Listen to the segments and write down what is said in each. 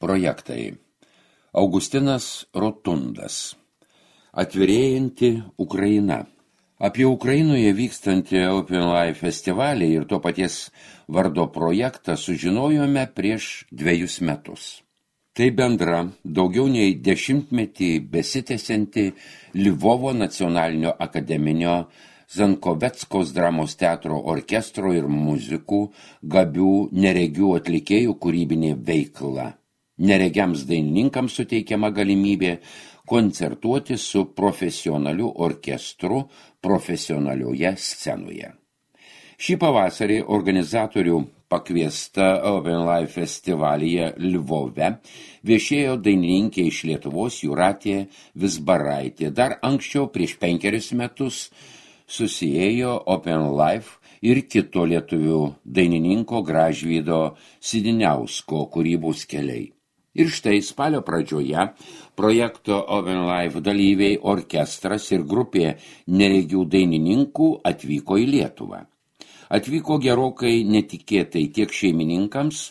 Projektai. Augustinas Rotundas. Atvirėjanti Ukraina. Apie Ukrainoje vykstantį Open Life festivalį ir to paties vardo projektą sužinojome prieš 2 metus. Tai bendra, daugiau nei 10-metį besitęsianti Lvovo nacionalinio akademinio Zankoveckos dramos teatro orkestro ir muzikų, gabių, neregių atlikėjų kūrybinė veikla. Neregiams dainininkams suteikiama galimybė koncertuoti su profesionaliu orkestru profesionalioje scenoje. Šį pavasarį organizatorių pakviesta Open Life festivalyje Lvove viešėjo dainininkė iš Lietuvos Jūratė Vizbaraitė. Dar anksčiau, prieš 5 metus, susiėjo Open Life ir kito lietuvių dainininko Gražvydo Sidiniausko kūrybos keliai. Ir štai spalio pradžioje projekto Open Life dalyviai, orkestras ir grupė neregių dainininkų atvyko į Lietuvą. Atvyko gerokai netikėtai tiek šeimininkams,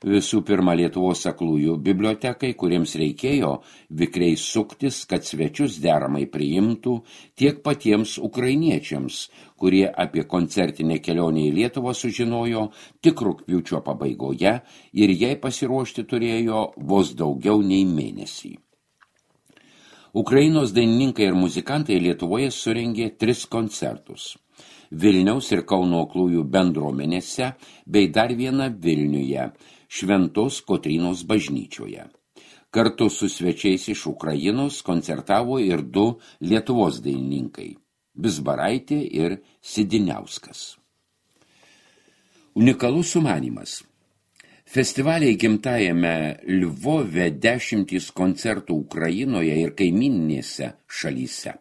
visų pirma Lietuvos aklųjų bibliotekai, kuriems reikėjo vikriai suktis, kad svečius deramai priimtų, tiek patiems ukrainiečiams, kurie apie koncertinę kelionę į Lietuvą sužinojo tik rugpjūčio pabaigoje ir jai pasiruošti turėjo vos daugiau nei mėnesį. Ukrainos dainininkai ir muzikantai Lietuvoje surengė 3 koncertus. Vilniaus ir Kauno aklųjų bendruomenėse bei dar vieną Vilniuje, Šventos Kotrynos bažnyčioje. Kartu su svečiais iš Ukrainos koncertavo ir 2 Lietuvos dainininkai – Vizbaraitė ir Sidiniauskas. Unikalus sumanymas. Festivaliai gimtajame Lvove 10 koncertų Ukrainoje ir kaimyninėse šalyse.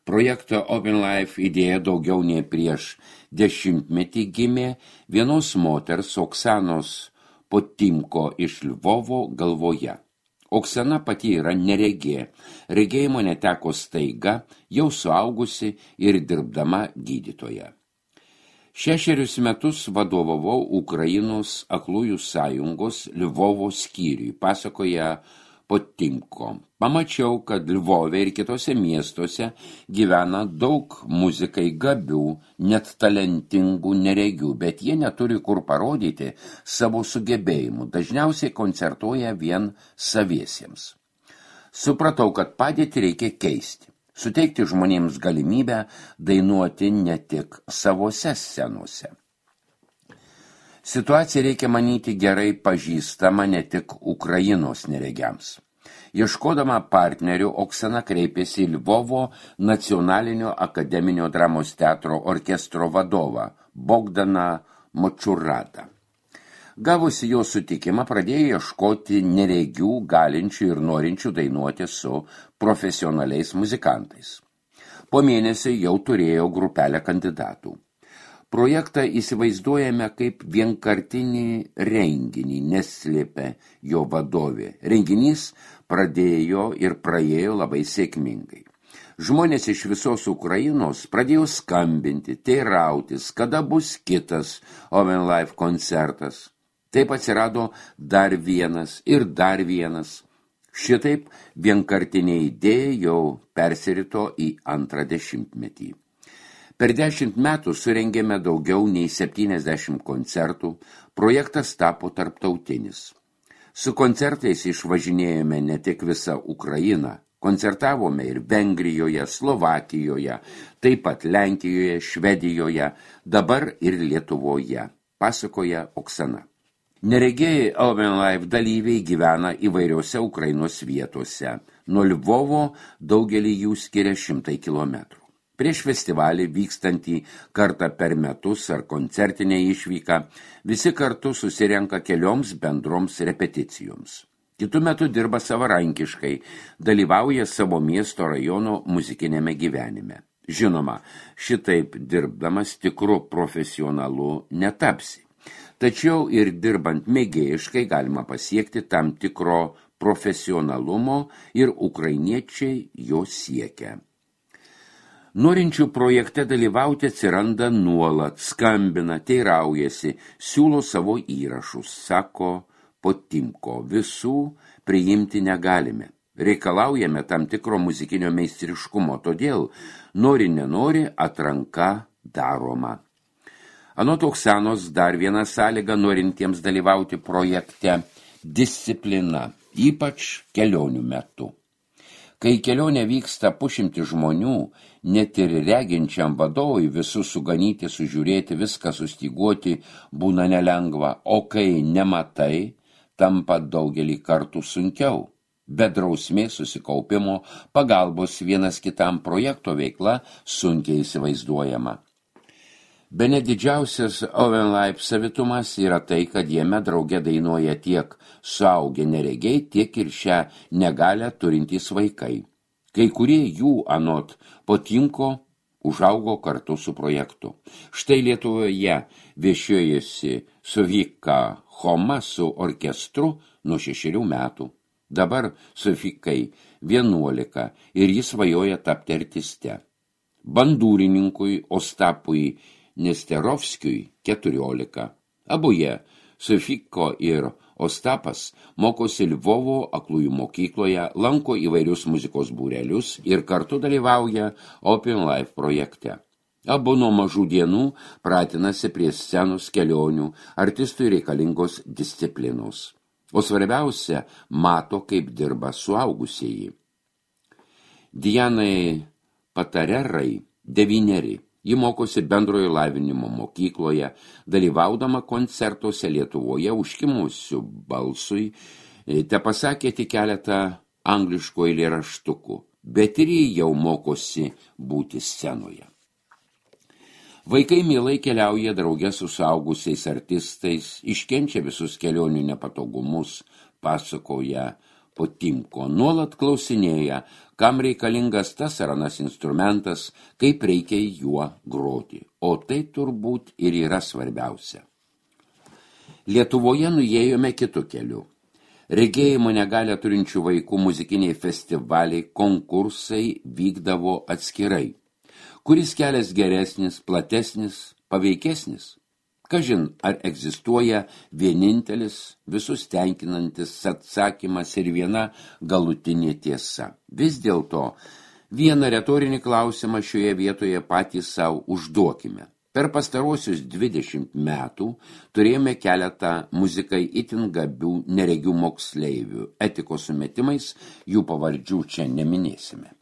Projekto Open Life idėja daugiau nei prieš 10-metį gimė vienos moters Oksanos Potimko iš Lvovo galvoje. Oksana pati yra neregė, regėjimo neteko staiga, jau suaugusi ir dirbdama gydytoja. 6 metus vadovavau Ukrainos aklųjų sąjungos Lvovo skyriui, pasakoja Potimko. Pamačiau, kad Lvove ir kitose miestuose gyvena daug muzikai gabių, net talentingų neregių, bet jie neturi kur parodyti savo sugebėjimų, dažniausiai koncertuoja vien saviesiems. Supratau, kad padėtį reikia keisti, suteikti žmonėms galimybę dainuoti ne tik savose scenose. Situaciją reikia manyti gerai pažįstama ne tik Ukrainos neregiams. Ieškodama partnerių, Oksana kreipėsi į Lvovo nacionalinio akademinio dramos teatro orkestro vadovą Bogdaną Močuradą. Gavusi jo sutikimą, pradėjo ieškoti neregių, galinčių ir norinčių dainuoti su profesionaliais muzikantais. Po mėnesio jau turėjo grupelę kandidatų. Projektą įsivaizduojame kaip vienkartinį renginį, neslėpė jo vadovė. Renginys pradėjo ir praėjo labai sėkmingai. Žmonės iš visos Ukrainos pradėjo skambinti, teirautis, kada bus kitas Open Life koncertas. Taip atsirado dar vienas ir dar vienas. Šitaip vienkartinė idėja jau persirito į 2 dešimtmetį. Per 10 metų surengėme daugiau nei 70 koncertų, projektas tapo tarptautinis. Su koncertais išvažinėjome ne tik visą Ukrainą, koncertavome ir Vengrijoje, Slovakijoje, taip pat Lenkijoje, Švedijoje, dabar ir Lietuvoje, pasakoja Oksana. Neregėjai Open Life dalyviai gyvena įvairiose Ukrainos vietose. Nuo Lvovo daugelį jų skiria 100 kilometrų. Prieš festivalį vykstantį kartą per metus ar koncertinę išvyką, visi kartu susirenka kelioms bendroms repeticijoms. Kitu metu dirba savarankiškai, dalyvauja savo miesto rajono muzikinėme gyvenime. Žinoma, šitaip dirbdamas tikru profesionalu netapsi. Tačiau ir dirbant mėgėjiškai galima pasiekti tam tikro profesionalumo ir ukrainiečiai jo siekia. Norinčių projekte dalyvauti atsiranda nuolat, skambina, teiraujasi, siūlo savo įrašus, sako Potimko. Visų priimti negalime. Reikalaujame tam tikro muzikinio meistriškumo, todėl nori nenori atranka daroma. Anot Oksanos dar viena sąlyga norintiems dalyvauti projekte – disciplina, ypač kelionių metu. Kai kelionė vyksta pušimti žmonių, net ir reginčiam vadovui visus suganyti, sužiūrėti, viską sustyguoti būna nelengva, o kai nematai, tampa daugelį kartų sunkiau. Be drausmės susikaupimo, pagalbos vienas kitam projekto veikla sunkiai įsivaizduojama. Bene didžiausias Oven Life savitumas yra tai, kad jame drauge dainuoja tiek suaugę neregiai, tiek ir šią negalę turintys vaikai. Kai kurie jų anot Potimko užaugo kartu su projektu. Štai Lietuvoje viešėjosi Sofika Homa su orkestru nuo 6 metų. Dabar Sofikai 11 ir jis svajoja tapti artiste. Bandūrininkui Ostapui Nesterovskiui 14. Abu jie, Sofiko ir Ostapas, mokosi Lvovo aklųjų mokykloje, lanko įvairius muzikos būrelius ir kartu dalyvauja Open Life projekte. Abu nuo mažų dienų pratinasi prie scenos kelionių, artistui reikalingos disciplinos. O svarbiausia, mato, kaip dirba suaugusieji. Dianai Patarerai 9. Ji mokosi bendrojo lavinimo mokykloje, dalyvaudama koncertuose Lietuvoje užkimusių balsui, te pasakė tik keletą angliškų eilėraštukų, bet ir ji jau mokosi būti scenoje. Vaikai mielai keliauja drauge su suaugusiais artistais, iškenčia visus kelionių nepatogumus, pasakoja Potimko, nuolat klausinėja, kam reikalingas tas ar anas instrumentas, kaip reikia juo groti. O tai turbūt ir yra svarbiausia. Lietuvoje nuėjome kitu keliu. Regėjimo negalią turinčių vaikų muzikiniai festivaliai, konkursai vykdavo atskirai. Kuris kelias geresnis, platesnis, paveikesnis? Kažin, ar egzistuoja vienintelis, visus tenkinantis atsakymas ir viena galutinė tiesa. Vis dėlto, vieną retorinį klausimą šioje vietoje patys savo užduokime. Per pastarosius 20 metų turėjome keletą muzikai itin gabių neregių moksleivių. Etikos sumetimais jų pavardžių čia neminėsime.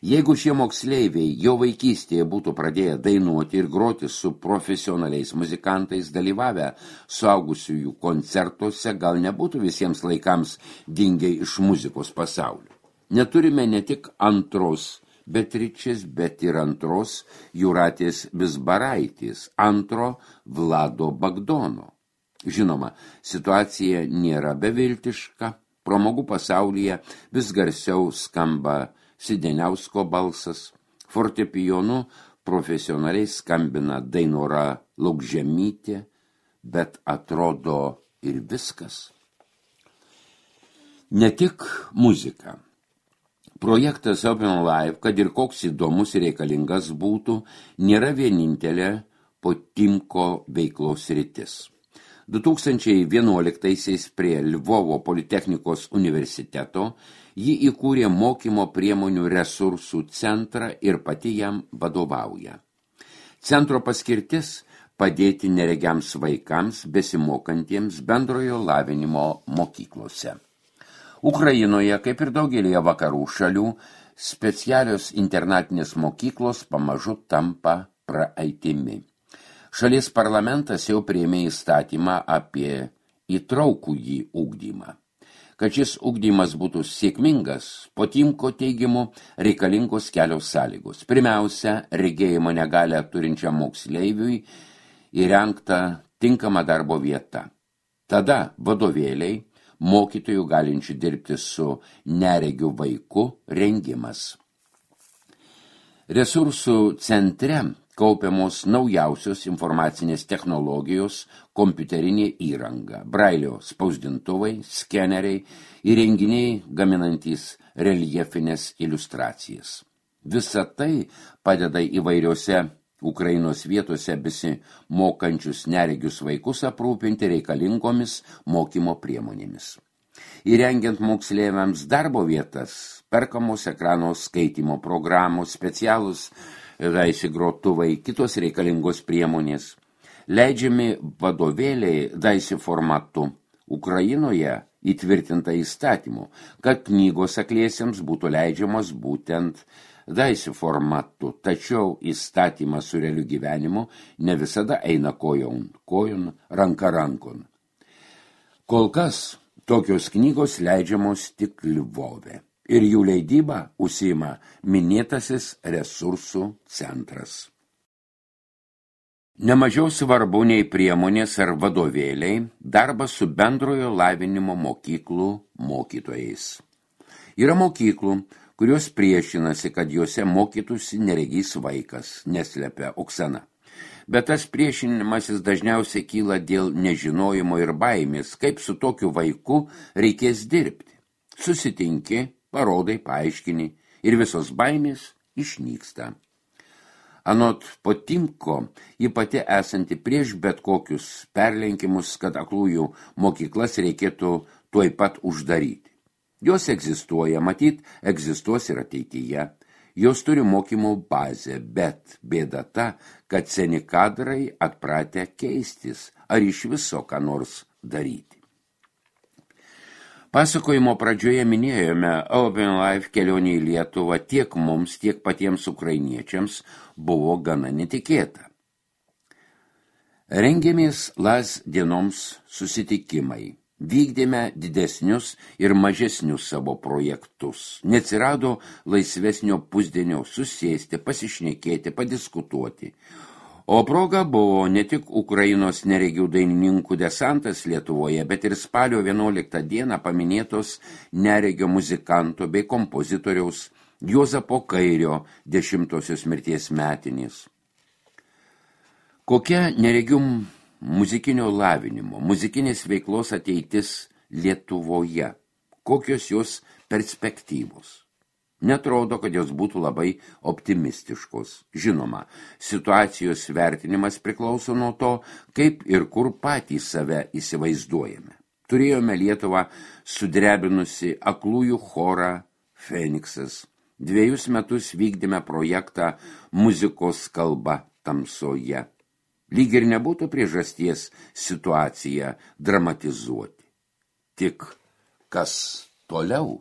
Jeigu šie moksleiviai jau vaikystėje būtų pradėję dainuoti ir groti su profesionaliais muzikantais dalyvavę suaugusiųjų koncertuose, gal nebūtų visiems laikams dingę iš muzikos pasaulio. Neturime ne tik antros Beatričės, bet ir antros Jūratės Vizbaraitės, antro Vlado Bagdono. Žinoma, situacija nėra beviltiška, pramogų pasaulyje vis garsiau skamba Sideniausko balsas, fortepijonu profesionaliai skambina Dainora Laukžemytė, bet atrodo ir viskas. Ne tik muzika. Projektas Open Life, kad ir koks įdomus ir reikalingas būtų, nėra vienintelė Potimko veiklos sritis. 2011-aisiais prie Lvovo Politechnikos universiteto ji įkūrė mokymo priemonių resursų centrą ir pati jam vadovauja. Centro paskirtis – padėti neregiams vaikams besimokantiems bendrojo lavinimo mokyklose. Ukrainoje, kaip ir daugelėje vakarų šalių, specialios internatinės mokyklos pamažu tampa praeitimi. Šalies parlamentas jau priėmė įstatymą apie įtraukųjį ugdymą. Kad šis ugdymas būtų sėkmingas, Potimko teigimu reikalingos kelios sąlygos. Pirmiausia, regėjimo negalią turinčiam moksleiviui įrengta tinkama darbo vieta. Tada vadovėliai, mokytojų galinčių dirbti su neregiu vaiku rengimas. Resursų centre kaupiamos naujausios informacinės technologijos, kompiuterinė įranga, brailio spausdintuvai, skeneriai, įrenginiai gaminantys reljefinės iliustracijas. Visa tai padeda įvairiose Ukrainos vietose besimokančius neregius vaikus aprūpinti reikalingomis mokymo priemonėmis. Įrengiant moksleiviams darbo vietas, perkamos ekrano skaitymo programos, specialūs daisy grotuvai, kitos reikalingos priemonės, leidžiami vadovėliai daisy formatu. Ukrainoje įtvirtinta įstatymu, kad knygos akliesiems būtų leidžiamos būtent daisy formatu, tačiau įstatymas su realiu gyvenimu ne visada eina kojon, ranka rankon. Kol kas tokios knygos leidžiamos tik Lvove ir jų leidybą užsiima minėtasis resursų centras. Nemažiau svarbu nei priemonės ar vadovėliai darbas su bendrojo lavinimo mokyklų mokytojais. Yra mokyklų, kurios priešinasi, kad juose mokytųsi neregys vaikas, neslepia Oksana. Bet tas priešinimasis dažniausiai kyla dėl nežinojimo ir baimės, kaip su tokiu vaiku reikės dirbti. Susitinki, parodai, paaiškini ir visos baimės išnyksta. Anot Potimko, ji pati esanti prieš bet kokius perlenkimus, kad aklųjų mokyklas reikėtų tuoj pat uždaryti. Jos egzistuoja, matyt, egzistuos ir ateityje. Jos turi mokymo bazę, bet bėda ta, kad seni kadrai atpratę keistis, ar iš viso ką nors daryti. Pasakojimo pradžioje minėjome, Open Life kelionė į Lietuvą tiek mums, tiek patiems ukrainiečiams buvo gana netikėta. Rengėmės LAS dienoms susitikimai, vykdėme didesnius ir mažesnius savo projektus. Neatsirado laisvesnio pusdienio susėsti, pasišnekėti, padiskutuoti. O proga buvo ne tik Ukrainos neregių dainininkų desantas Lietuvoje, bet ir spalio 11 dieną paminėtos neregio muzikanto bei kompozitoriaus Juozapo Kairio 10-osios mirties metinės. Kokia neregių muzikinio lavinimo, muzikinės veiklos ateitis Lietuvoje? Kokios jos perspektyvos? Netrodo, kad jos būtų labai optimistiškos. Žinoma, situacijos vertinimas priklauso nuo to, kaip ir kur patys save įsivaizduojame. Turėjome Lietuvą sudrebinusi aklųjų chorą Feniksas. 2 metus vykdėme projektą Muzikos kalba tamsoje. Lyg ir nebūtų priežasties situaciją dramatizuoti. Tik kas toliau?